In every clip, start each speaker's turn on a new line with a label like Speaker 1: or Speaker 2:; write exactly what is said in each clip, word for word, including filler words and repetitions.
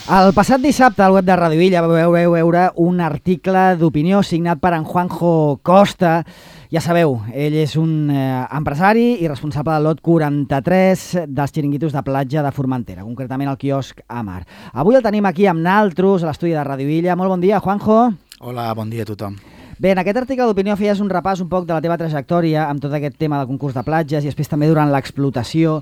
Speaker 1: El passat dissabte al web de Radio Illa vau veure un article d'opinió signat per en Juanjo Costa. Ja sabeu, ell és un eh, empresari i responsable del lot quaranta-tres dels xiringuitos de platja de Formentera, concretament el quiosc Amar. Avui el tenim aquí amb naltros a l'estudi de Radio Illa. Molt bon dia, Juanjo.
Speaker 2: Hola, bon dia a tothom.
Speaker 1: Bé, en aquest article d'opinió feies un repàs un poc de la teva trajectòria amb tot aquest tema del concurs de platges i després també durant l'explotació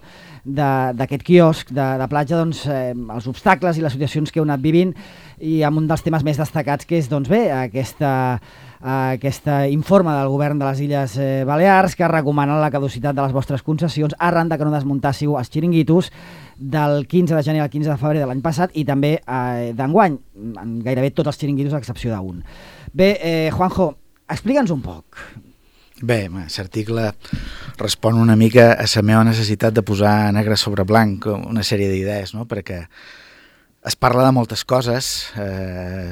Speaker 1: d'aquest quiosc de, de platja, doncs, eh, els obstacles i les situacions que heu anat vivint, i amb un dels temes més destacats que és, doncs bé, aquesta, eh, aquest informe del govern de les Illes eh, Balears que recomana la caducitat de les vostres concessions arran de que no desmuntássiu els xiringuitos del quinze de gener al quinze de febrer de l'any passat i també eh, d'enguany, en gairebé tots els xiringuitos a excepció d'un. Bé, eh, Juanjo, explica'ns un poc.
Speaker 2: Bé, aquest article respon una mica a la meva necessitat de posar negre sobre blanc una sèrie d'idees, no? Perquè es parla de moltes coses, eh,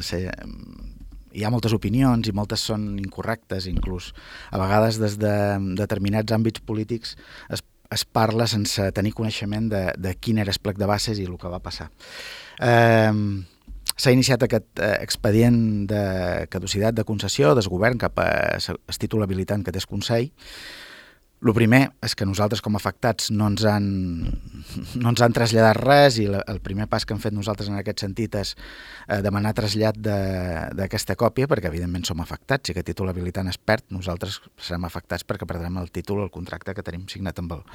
Speaker 2: hi ha moltes opinions i moltes són incorrectes, inclús a vegades des de determinats àmbits polítics es, es parla sense tenir coneixement de, de quin era el plec de bases i el que va passar. Eh, S'ha iniciat aquest eh, expedient de caducitat de concessió del govern cap a el títol habilitant que té el Consell. El primer és que nosaltres com a afectats no ens han, no ens han traslladat res i la, el primer pas que hem fet nosaltres en aquest sentit és eh, demanar trasllat d'aquesta còpia perquè evidentment som afectats i aquest títol habilitant es perd, nosaltres serem afectats perquè perdrem el títol, el contracte que tenim signat amb el,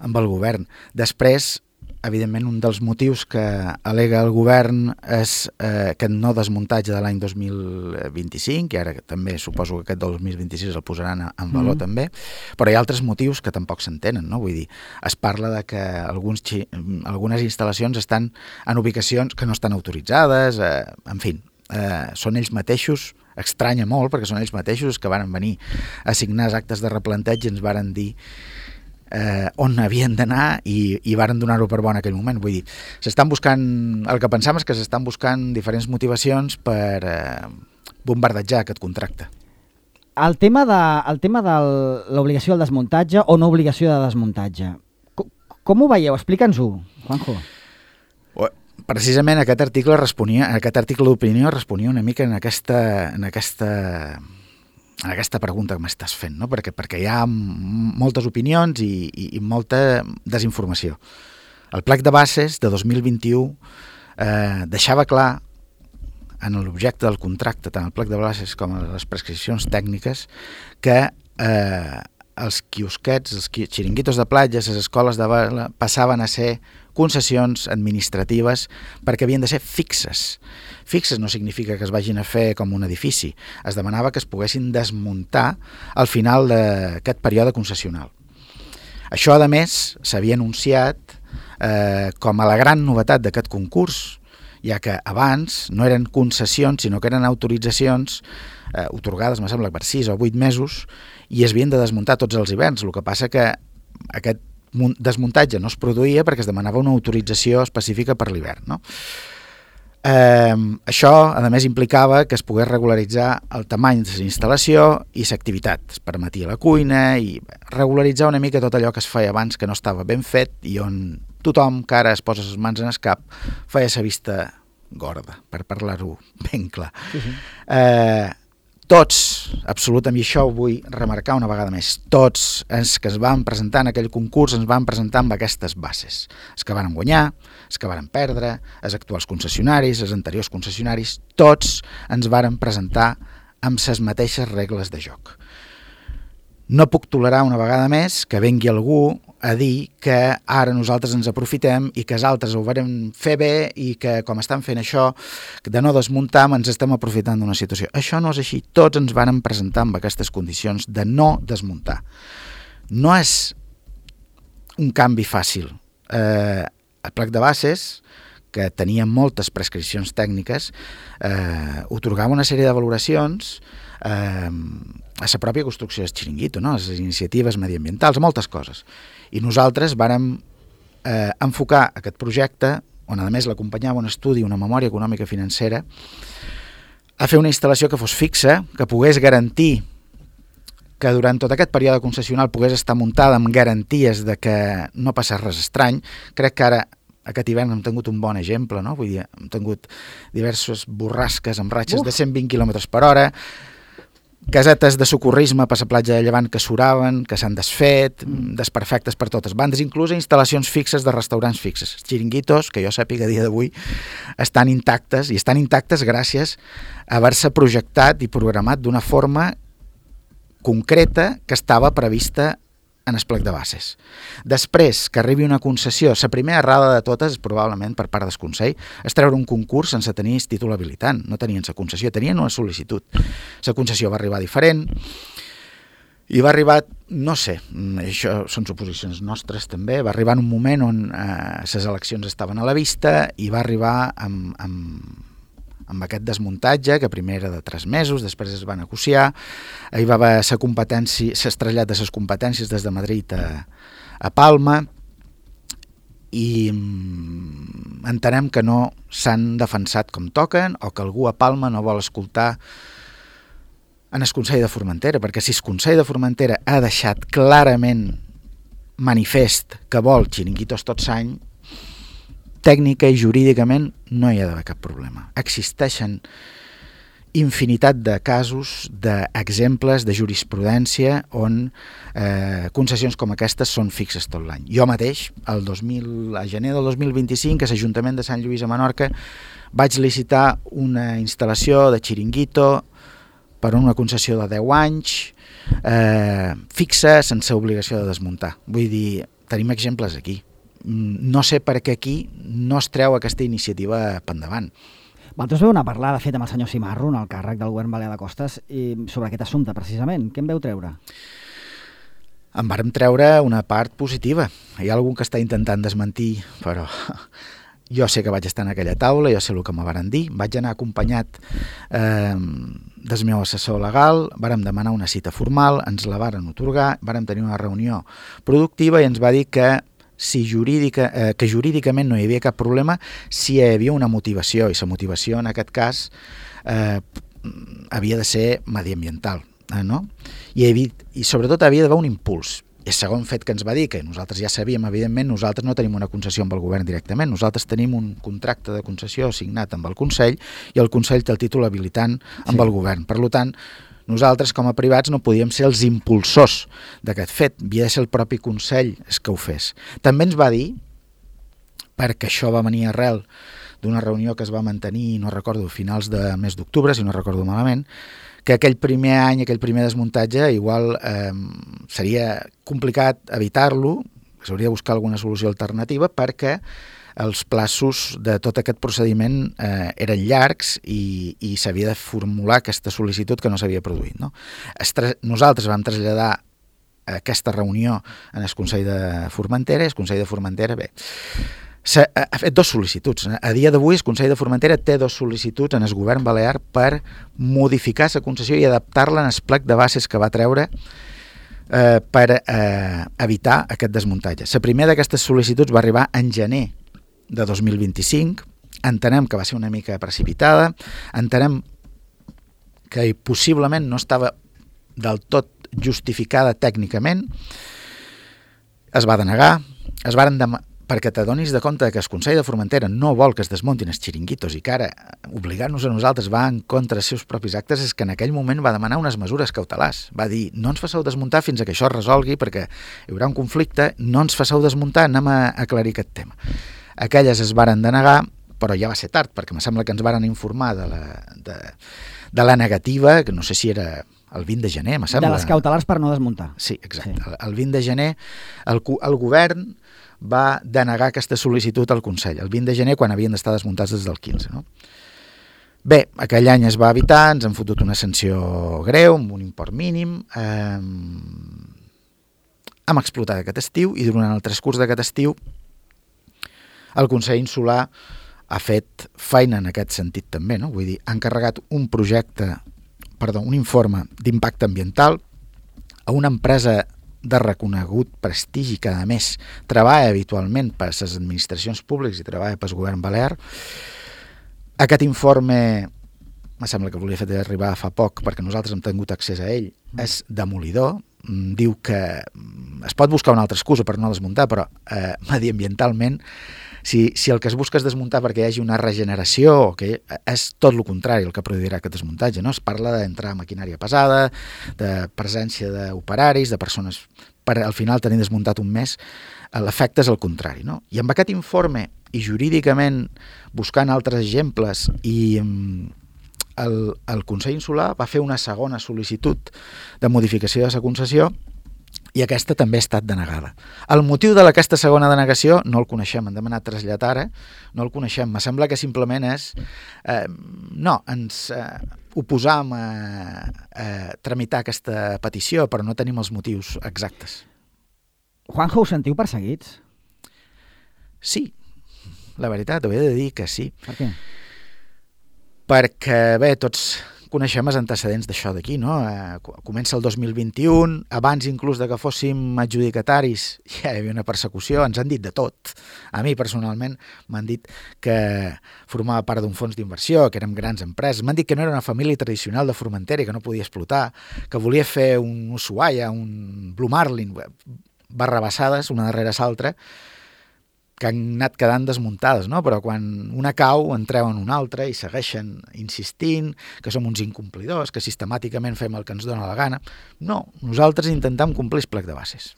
Speaker 2: amb el govern. Després, evidentment, un dels motius que al·lega el govern és eh, aquest no desmuntatge de l'any dos mil vint-i-cinc, i ara també suposo que aquest del dos mil vint-i-sis el posaran en valor mm. també, però hi ha altres motius que tampoc s'entenen, no? Vull dir, es parla de que alguns, algunes instal·lacions estan en ubicacions que no estan autoritzades, eh, en fi, eh, són ells mateixos, estranya molt perquè són ells mateixos que van venir a signar els actes de replanteig i ens varen dir Eh, on havien d'anar i, i varen donar-ho per bo en aquell moment. Vull dir, s'estan buscant, el que pensam és que s'estan buscant diferents motivacions per eh, bombardejar aquest contracte.
Speaker 1: El tema de, el tema de l'obligació del desmuntatge o no obligació de desmuntatge, com, com ho veieu? Explica'ns-ho, Juanjo.
Speaker 2: Precisament aquest article responia, aquest article d'opinió responia una mica en aquesta, en aquesta en aquesta pregunta que m'estàs fent, no? perquè, perquè hi ha moltes opinions i, i, i molta desinformació. El plec de bases de dos mil vint-i-u eh, deixava clar en l'objecte del contracte, tant el plec de bases com les prescripcions tècniques, que eh, els quiosquets, els xiringuitos de platges, les escoles de vela, passaven a ser concessions administratives perquè havien de ser fixes. Fixes no significa que es vagin a fer com un edifici. Es demanava que es poguessin desmuntar al final d'aquest període concessional. Això, a més, s'havia anunciat eh, com a la gran novetat d'aquest concurs, ja que abans no eren concessions, sinó que eren autoritzacions eh, otorgades, me sembla, per sis o vuit mesos, i es havien de desmuntar tots els hiverns. El que passa que aquest desmuntatge no es produïa perquè es demanava una autorització específica per l'hivern, no? Eh, això, a més, implicava que es pogués regularitzar el tamany de la instal·lació i l'activitat. Es permetia la cuina i regularitzar una mica tot allò que es feia abans que no estava ben fet i on tothom que ara es posa les mans en el cap feia la vista gorda, per parlar-ho ben clar. Sí, sí. Eh, tots, absolutament, i això ho vull remarcar una vegada més, tots els que es van presentar en aquell concurs ens van presentar amb aquestes bases. Els que van guanyar, els que van perdre, els actuals concessionaris, els anteriors concessionaris, tots ens varen presentar amb les mateixes regles de joc. No puc tolerar una vegada més que vengui algú a dir que ara nosaltres ens aprofitem i que els altres ho varen fer bé i que com estan fent això de no desmuntar ens estem aprofitant d'una situació. Això no és així. Tots ens varen presentar amb aquestes condicions de no desmuntar. No és un canvi fàcil. Eh, el plec de bases, que tenia moltes prescripcions tècniques, eh, otorgava una sèrie de valoracions eh, a la pròpia construcció del xiringuito, no? A les iniciatives mediambientals, a moltes coses. I nosaltres vàrem eh, enfocar aquest projecte, on a més l'acompanyava un estudi, una memòria econòmica financera, a fer una instal·lació que fos fixa, que pogués garantir que durant tot aquest període concessional pogués estar muntada amb garanties de que no passés res estrany. Crec que ara aquest hivern hem tingut un bon exemple, no? Vull dir, hem tingut diverses borrasques amb ratxes Uf. de cent vint quilòmetres per hora, casetes de socorrisme per la platja de Llevant que s'uraven, que s'han desfet, mm. desperfectes per totes bandes, inclús instal·lacions fixes de restaurants fixes. Els xiringuitos, que jo sàpiga a dia d'avui, estan intactes, i estan intactes gràcies a haver-se projectat i programat d'una forma concreta que estava prevista en el plec de bases. Després que arribi una concessió, la primera errada de totes, probablement per part del Consell, és treure un concurs sense tenir títol habilitant. No tenien la concessió, tenien una sol·licitud. La concessió va arribar diferent i va arribar, no sé, això són suposicions nostres també, va arribar en un moment on eh, les eleccions estaven a la vista i va arribar amb... amb amb aquest desmuntatge, que primer era de tres mesos, després es va negociar, hi va haver sa competència, s'ha trasllat de les competències des de Madrid a, a Palma, i entenem que no s'han defensat com toquen, o que algú a Palma no vol escoltar en el Consell de Formentera, perquè si el Consell de Formentera ha deixat clarament manifest que vol xiringuitos tot l'any, tècnica i jurídicament no hi ha d'haver cap problema. Existeixen infinitat de casos, d'exemples de jurisprudència on eh, concessions com aquestes són fixes tot l'any. Jo mateix, el dos mil, a gener del dos mil vint-i-cinc, a l'Ajuntament de Sant Lluís a Menorca, vaig licitar una instal·lació de xiringuito per una concessió de deu anys, eh, fixa, sense obligació de desmuntar. Vull dir, tenim exemples aquí. No sé per què aquí no es treu aquesta iniciativa per endavant.
Speaker 1: Vosaltres veu una parlada feta amb el senyor Cimarro, en el càrrec del govern balear de Costes, i sobre aquest assumpte, precisament. Què en veu treure?
Speaker 2: En vàrem treure una part positiva. Hi ha algú que està intentant desmentir, però jo sé que vaig estar en aquella taula, jo sé el que me varen dir. Vaig anar acompanyat eh, del meu assessor legal, vàrem demanar una cita formal, ens la varen atorgar, vàrem tenir una reunió productiva i ens va dir que si jurídica, eh, que jurídicament no hi havia cap problema, si hi havia una motivació, i la motivació en aquest cas eh, havia de ser mediambiental, eh, no? I, havia, i sobretot havia d'haver un impuls. I el segon fet que ens va dir, que nosaltres ja sabíem, evidentment, nosaltres no tenim una concessió amb el govern directament, nosaltres tenim un contracte de concessió signat amb el Consell i el Consell té el títol habilitant amb sí. el govern. Per tant, nosaltres, com a privats, no podíem ser els impulsors d'aquest fet. Havia de ser el propi Consell que ho fes. També ens va dir, perquè això va venir arrel d'una reunió que es va mantenir, no recordo, a finals de mes d'octubre, si no recordo malament, que aquell primer any, aquell primer desmuntatge, igual eh, seria complicat evitar-lo, s'hauria de buscar alguna solució alternativa, perquè els plaços de tot aquest procediment eh, eren llargs i, i s'havia de formular aquesta sol·licitud que no s'havia produït. No? Nosaltres vam traslladar aquesta reunió en el Consell de Formentera i el Consell de Formentera, bé, ha fet dos sol·licituds. A dia d'avui el Consell de Formentera té dos sol·licituds en el govern balear per modificar la concessió i adaptar-la en el plec de bases que va treure eh, per eh, evitar aquest desmuntatge. La primera d'aquestes sol·licituds va arribar en gener de dos mil vint-i-cinc, entenem que va ser una mica precipitada, entenem que possiblement no estava del tot justificada tècnicament, es va denegar, es varen demanar, perquè t'adonis de compte que el Consell de Formentera no vol que es desmuntin els xiringuitos i que ara obligar-nos a nosaltres va en contra dels seus propis actes, és que en aquell moment va demanar unes mesures cautelars. Va dir, no ens faceu desmuntar fins a que això es resolgui perquè hi haurà un conflicte, no ens faceu desmuntar, anem a aclarir aquest tema. Aquelles es varen denegar, però ja va ser tard, perquè em sembla que ens varen informar de la, de, de la negativa, que no sé si era el vint de gener, me sembla.
Speaker 1: De les cautelars per no desmuntar.
Speaker 2: Sí, exacte. Sí. El vint de gener el, el govern va denegar aquesta sol·licitud al Consell, el vint de gener, quan havien d'estar desmuntats des del quinze. No? Bé, aquell any es va evitar, ens han fotut una sanció greu, amb un import mínim, eh, hem explotat aquest estiu i durant el transcurs d'aquest estiu el Consell Insular ha fet feina en aquest sentit també, no? Vull dir, ha encarregat un projecte, perdó, un informe d'impacte ambiental a una empresa de reconegut prestigi que, a més, treballa habitualment per les administracions públiques i treballa pel govern balear. Aquest informe, em sembla que volia fer arribar fa poc, perquè nosaltres hem tingut accés a ell, és demolidor. Diu que es pot buscar una altra excusa per no desmuntar, però eh, mediambientalment Si, si el que es busca és desmuntar perquè hi hagi una regeneració, que és tot el contrari el que produirà aquest desmuntatge, no? Es parla d'entrar maquinària pesada, de presència d'operaris, de persones, per al final tenir desmuntat un mes, l'efecte és el contrari, no? I amb aquest informe, i jurídicament buscant altres exemples, i el, el Consell Insular va fer una segona sol·licitud de modificació de la concessió, i aquesta també ha estat denegada. El motiu d'aquesta segona denegació no el coneixem, hem demanat trasllat ara, no el coneixem. Me sembla que simplement és... Eh, no, ens eh, oposam a, a tramitar aquesta petició, però no tenim els motius exactes.
Speaker 1: Juanjo, us sentiu perseguits?
Speaker 2: Sí, la veritat, ho he de dir que sí.
Speaker 1: Per què?
Speaker 2: Perquè, bé, tots coneixem els antecedents d'això d'aquí, no? Eh, comença el dos mil vint-i-u, abans inclús de que fóssim adjudicataris ja hi havia una persecució, ens han dit de tot. A mi personalment m'han dit que formava part d'un fons d'inversió, que érem grans empreses, m'han dit que no era una família tradicional de Formentera i que no podia explotar, que volia fer un Ushuaia, un Blue Marlin, barrabassades, una darrere l'altra, que han anat quedant desmuntades, no? Però quan una cau en treuen una altra i segueixen insistint que som uns incomplidors, que sistemàticament fem el que ens dona la gana. No, nosaltres intentem complir el plec de bases.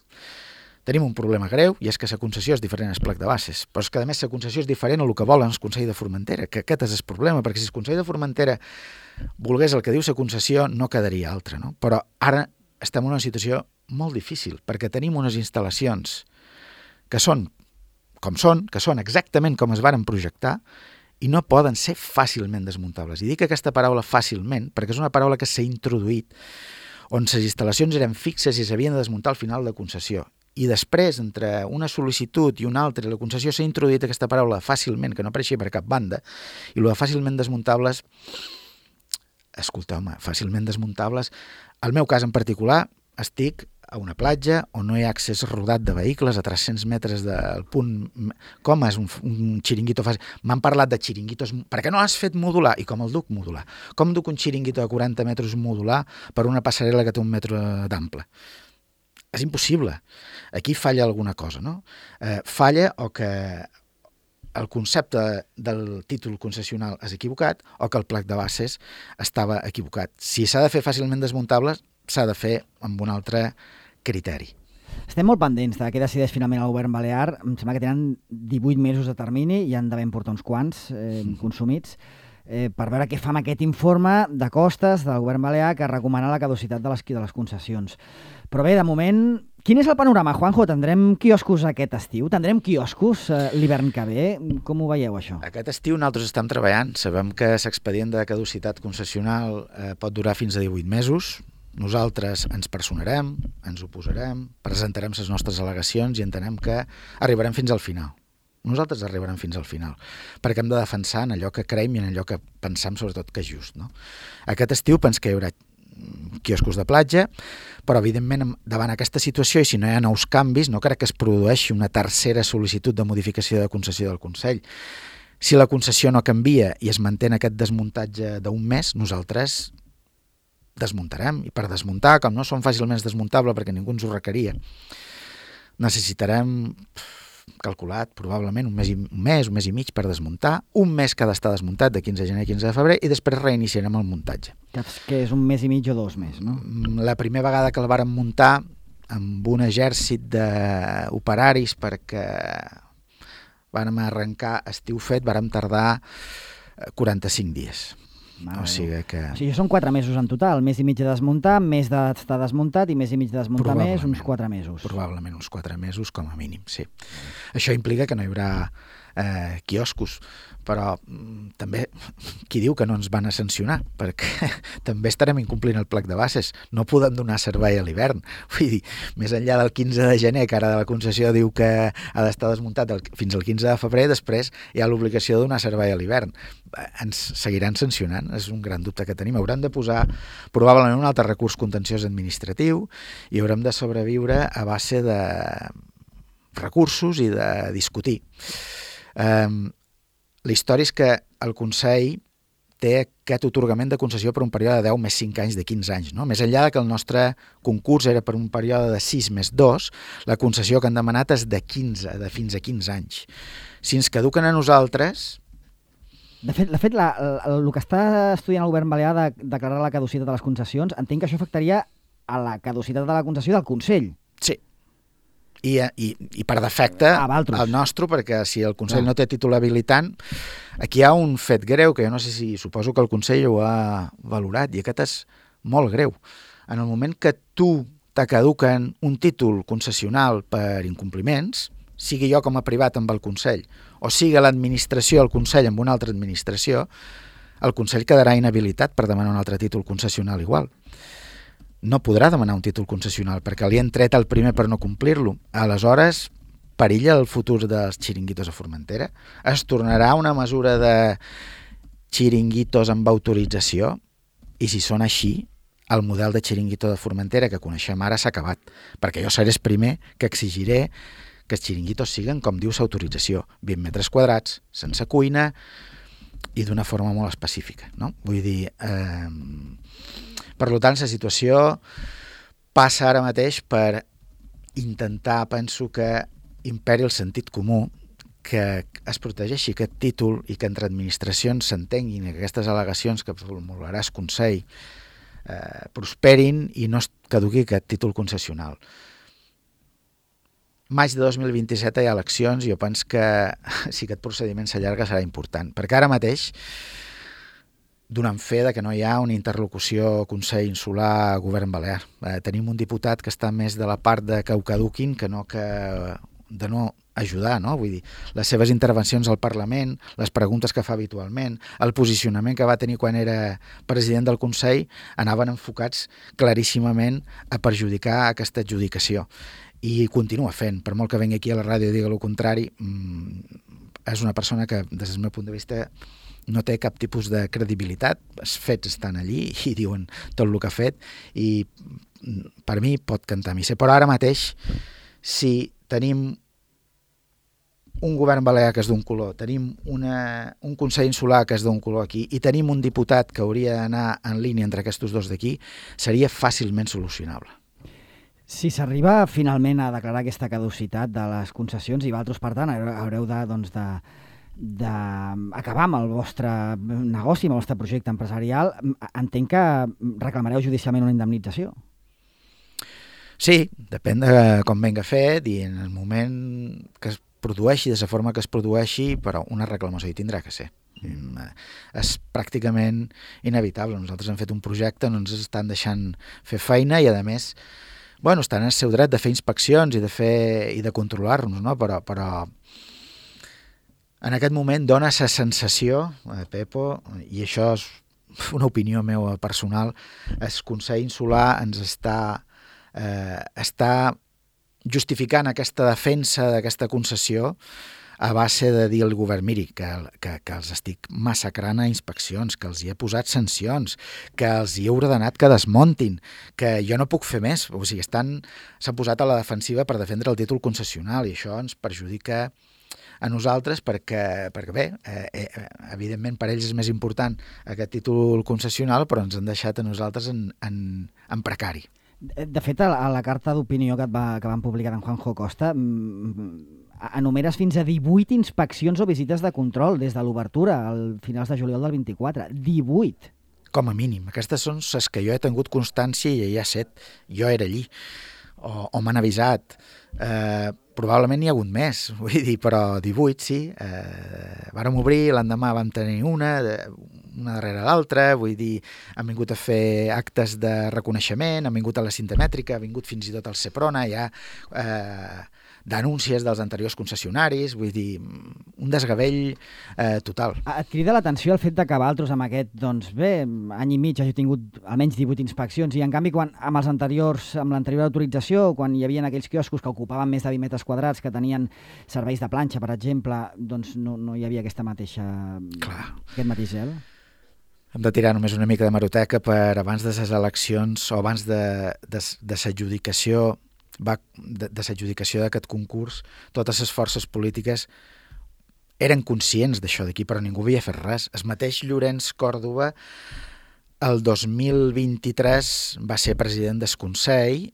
Speaker 2: Tenim un problema greu i és que la concessió és diferent al plec de bases, però és que a més la concessió és diferent a el que volen el Consell de Formentera, que aquest és el problema, perquè si el Consell de Formentera volgués el que diu la concessió no quedaria altra, no? Però ara estem en una situació molt difícil, perquè tenim unes instal·lacions que són com són, que són exactament com es varen projectar i no poden ser fàcilment desmuntables. I dic aquesta paraula fàcilment perquè és una paraula que s'ha introduït on les instal·lacions eren fixes i s'havien de desmuntar al final de concessió. I després, entre una sol·licitud i una altra, la concessió s'ha introduït aquesta paraula fàcilment, que no apareixia per cap banda, i el de fàcilment desmuntables, escolteu-me, fàcilment desmuntables, el meu cas en particular, estic a una platja on no hi ha accés rodat de vehicles a tres-cents metres del punt... Com és un, un xiringuito fàcil? M'han parlat de xiringuitos... Per què no has fet modular? I com el duc modular? Com duc un xiringuito de quaranta metres modular per una passarel·la que té un metre d'ample? És impossible. Aquí falla alguna cosa, no? Eh, falla o que el concepte del títol concessional és equivocat o que el plec de bases estava equivocat. Si s'ha de fer fàcilment desmuntables, s'ha de fer amb un altre criteri.
Speaker 1: Estem molt pendents de què decideix finalment el govern balear. Em sembla que tenen divuit mesos de termini i han d'haver portar uns quants eh, consumits eh, per veure què fa amb aquest informe de costes del govern balear que recomana la caducitat de les, de les concessions. Però bé, de moment, quin és el panorama, Juanjo? Tindrem quioscos aquest estiu? Tindrem quioscos eh, l'hivern que ve? Com ho veieu, això?
Speaker 2: Aquest estiu nosaltres estem treballant. Sabem que l'expedient de caducitat concessional eh, pot durar fins a divuit mesos. Nosaltres ens personarem, ens oposarem, presentarem les nostres al·legacions i entenem que arribarem fins al final. Nosaltres arribarem fins al final, perquè hem de defensar en allò que creiem i en allò que pensem sobretot que és just, no? Aquest estiu penso que hi haurà quioscos de platja, però evidentment davant aquesta situació i si no hi ha nous canvis no crec que es produeixi una tercera sol·licitud de modificació de concessió del Consell. Si la concessió no canvia i es manté aquest desmuntatge d'un mes, nosaltres desmuntarem, i per desmuntar, com no són fàcilment desmuntables perquè ningú ens ho requeria, necessitarem calculat probablement un mes, un mes, un mes i mig per desmuntar, un mes que ha d'estar desmuntat de quinze de gener a quinze de febrer i després reiniciarem el muntatge.
Speaker 1: Que és un mes i mig o dos més, no?
Speaker 2: La primera vegada que el vàrem muntar amb un exèrcit d'operaris perquè vàrem arrencar estiu fet, vàrem tardar quaranta-cinc dies.
Speaker 1: Mare
Speaker 2: o sigui que...
Speaker 1: O sigui, són quatre mesos en total, mes i mig de desmuntar, mes d'estar desmuntat i mes i mig de desmuntar més, uns quatre mesos.
Speaker 2: Probablement uns quatre mesos com a mínim, sí. Això implica que no hi haurà eh, quioscos, però mm, també qui diu que no ens van a sancionar, perquè també estarem incomplint el plec de bases, no podem donar servei a l'hivern. Vull dir, més enllà del quinze de gener, que ara de la concessió diu que ha d'estar desmuntat el, fins al quinze de febrer, després hi ha l'obligació de donar servei a l'hivern. Ens seguiran sancionant, és un gran dubte que tenim. Haurem de posar probablement un altre recurs contenciós administratiu i haurem de sobreviure a base de recursos i de discutir. Um, la història és que el Consell té aquest atorgament de concessió per un període de deu més cinc anys de quinze anys. No? Més enllà que el nostre concurs era per un període de sis més dos, la concessió que han demanat és de quinze, de fins a quinze anys. Si ens caduquen a nosaltres...
Speaker 1: De fet, de fet la, la, el que està estudiant el govern balear de declarar la caducitat de les concessions, entenc que això afectaria a la caducitat de la concessió del Consell.
Speaker 2: Sí. I, i, i per defecte el nostre, perquè si el Consell Clar. no té títol habilitant, aquí hi ha un fet greu que jo no sé si, suposo que el Consell ho ha valorat, i aquest és molt greu. En el moment que tu te caduquen un títol concessional per incompliments, sigui jo com a privat amb el Consell, o sigui l'administració, el Consell amb una altra administració, el Consell quedarà inhabilitat per demanar un altre títol concessional igual. No podrà demanar un títol concessional perquè li han tret el primer per no complir-lo. Aleshores, perilla el futur dels xiringuitos a Formentera. Es tornarà una mesura de xiringuitos amb autorització i si són així, el model de xiringuito de Formentera que coneixem ara s'ha acabat, perquè jo seré el primer que exigiré que els xiringuitos siguen, com diu l'autorització, vint metres quadrats, sense cuina i d'una forma molt específica. No? Vull dir, eh, per tant, la situació passa ara mateix per intentar, penso que imperi el sentit comú, que es protegeixi aquest títol i que entre administracions s'entenguin que aquestes al·legacions que formularà el Consell eh, prosperin i no es caduqui aquest títol concessional. Maig de dos mil vint-i-set hi ha eleccions i jo penso que si aquest procediment s'allarga serà important, perquè ara mateix donant fe de que no hi ha una interlocució Consell Insular Govern Balear. Eh, tenim un diputat que està més de la part de que ho caduquin que no que de no ajudar, no? Vull dir, les seves intervencions al Parlament, les preguntes que fa habitualment, el posicionament que va tenir quan era president del Consell anaven enfocats claríssimament a perjudicar aquesta adjudicació. I continua fent, per molt que vengui aquí a la ràdio i digui el contrari, és una persona que, des del meu punt de vista, no té cap tipus de credibilitat. Els fets estan allí i diuen tot el que ha fet i per mi pot cantar missa. Però ara mateix, si tenim un govern balear que és d'un color, tenim una, un Consell Insular que és d'un color aquí i tenim un diputat que hauria d'anar en línia entre aquests dos d'aquí, seria fàcilment solucionable.
Speaker 1: Si s'arriba finalment a declarar aquesta caducitat de les concessions i vosaltres, per tant, haureu de, doncs, de, de acabar amb el vostre negoci, amb el vostre projecte empresarial, entenc que reclamareu judicialment una indemnització.
Speaker 2: Sí, depèn de com venga fet i en el moment que es produeixi, de la forma que es produeixi, però una reclamació hi tindrà que ser. És pràcticament inevitable. Nosaltres hem fet un projecte, no ens estan deixant fer feina i, a més, bueno, estan en el seu dret de fer inspeccions i de fer i de controlar-nos, no? Però, però en aquest moment dona la sensació, eh, Pepo, i això és una opinió meva personal, el Consell Insular ens està, eh, està justificant aquesta defensa d'aquesta concessió a base de dir al govern, miri, que, que, que els estic massacrant a inspeccions, que els hi he posat sancions, que els hi he ordenat que desmontin, que jo no puc fer més. O sigui, estan, s'han posat a la defensiva per defendre el títol concessional i això ens perjudica a nosaltres perquè, perquè bé, eh, eh, evidentment per ells és més important aquest títol concessional, però ens han deixat a nosaltres en, en, en precari.
Speaker 1: De fet, a la, a la carta d'opinió que, va, que van publicar en Juanjo Costa, enumeres fins a divuit inspeccions o visites de control des de l'obertura al finals de juliol del vint-i-quatre. divuit!
Speaker 2: Com a mínim. Aquestes són les que jo he tingut constància i hi ha set. Jo era allí. O, o m'han avisat. Eh, probablement n'hi ha hagut més, vull dir, però divuit, sí. Eh, vàrem obrir, l'endemà vam tenir una, una darrere l'altra, vull dir, han vingut a fer actes de reconeixement, han vingut a la cinta mètrica, han vingut fins i tot al Seprona, ja eh, denúncies dels anteriors concessionaris, vull dir, un desgavell eh, total.
Speaker 1: Et crida l'atenció el fet de que vosaltres amb aquest, doncs bé, any i mig hagi tingut almenys divuit inspeccions i en canvi quan amb els anteriors, amb l'anterior autorització, quan hi havia aquells quioscos que ocupaven més de vint metres quadrats, que tenien serveis de planxa, per exemple, doncs no, no hi havia aquesta mateixa...
Speaker 2: Clar.
Speaker 1: Aquest mateix gel?
Speaker 2: Hem de tirar només una mica de hemeroteca per abans de les eleccions o abans de, de, de l'adjudicació va, de, de l'adjudicació d'aquest concurs, totes les forces polítiques eren conscients d'això d'aquí, però ningú havia fet res. El mateix Llorenç Còrdova el dos mil vint-i-tres va ser president del Consell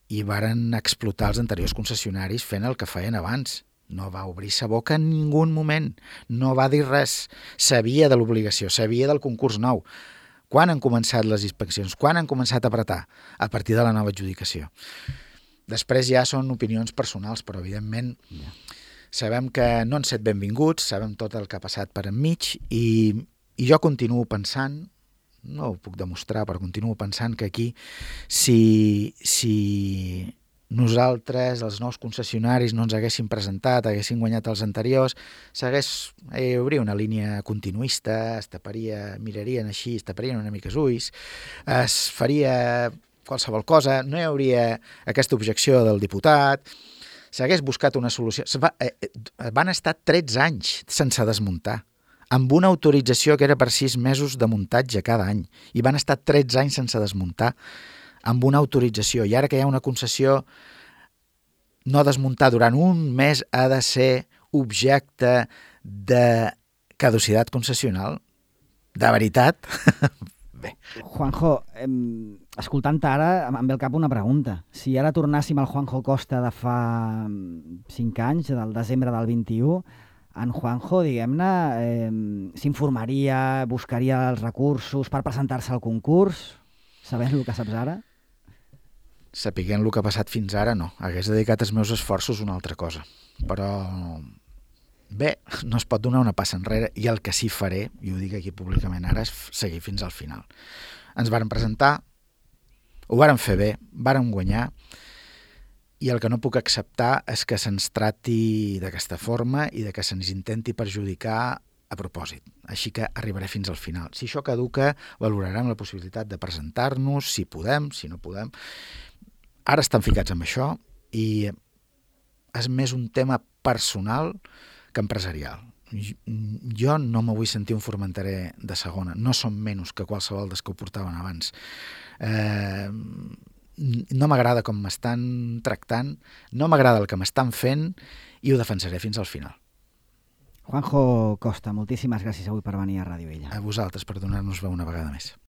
Speaker 2: i varen explotar els anteriors concessionaris fent el que feien abans. No va obrir sa boca en ningú moment. No va dir res. Sabia de l'obligació, sabia del concurs nou. Quan han començat les inspeccions? Quan han començat a apretar? A partir de la nova adjudicació. Després ja són opinions personals, però evidentment yeah. sabem que no han set benvinguts, sabem tot el que ha passat per enmig i, i jo continuo pensant, no ho puc demostrar, però continuo pensant que aquí si... si nosaltres, els nous concessionaris, no ens haguéssim presentat, haguéssim guanyat els anteriors, s'hagués, hi hauria una línia continuista, es taparia, mirarien així, es taparien una mica els ulls, es faria qualsevol cosa, no hi hauria aquesta objecció del diputat, s'hagués buscat una solució. Va, eh, van estar tretze anys sense desmuntar, amb una autorització que era per sis mesos de muntatge cada any, i van estar tretze anys sense desmuntar, amb una autorització, i ara que hi ha una concessió, no desmuntar durant un mes ha de ser objecte de caducitat concessional? De veritat? Bé.
Speaker 1: Juanjo, eh, escoltant-te ara, em ve al cap una pregunta. Si ara tornàssim al Juanjo Costa de fa cinc anys, del desembre del vint-i-u, en Juanjo, diguem-ne, eh, s'informaria, buscaria els recursos per presentar-se al concurs, sabent el que saps ara?
Speaker 2: Sapiguent el que ha passat fins ara, no. Hagués dedicat els meus esforços a una altra cosa. Però, bé, no es pot donar una passa enrere, i el que sí faré, i ho dic aquí públicament ara, és seguir fins al final. Ens varen presentar, ho varen fer bé, varen guanyar, i el que no puc acceptar és que se'ns trati d'aquesta forma i de que se'ns intenti perjudicar a propòsit. Així que arribaré fins al final. Si això caduca, valorarem la possibilitat de presentar-nos, si podem, si no podem. Ara estan ficats amb això i és més un tema personal que empresarial. Jo no me vull sentir un Formenterer de segona. No som menys que qualsevol dels que ho portaven abans. Eh, no m'agrada com m'estan tractant, no m'agrada el que m'estan fent i ho defensaré fins al final.
Speaker 1: Juanjo Costa, moltíssimes gràcies avui per venir a Ràdio Illa.
Speaker 2: A vosaltres per donar-nos veu una vegada més.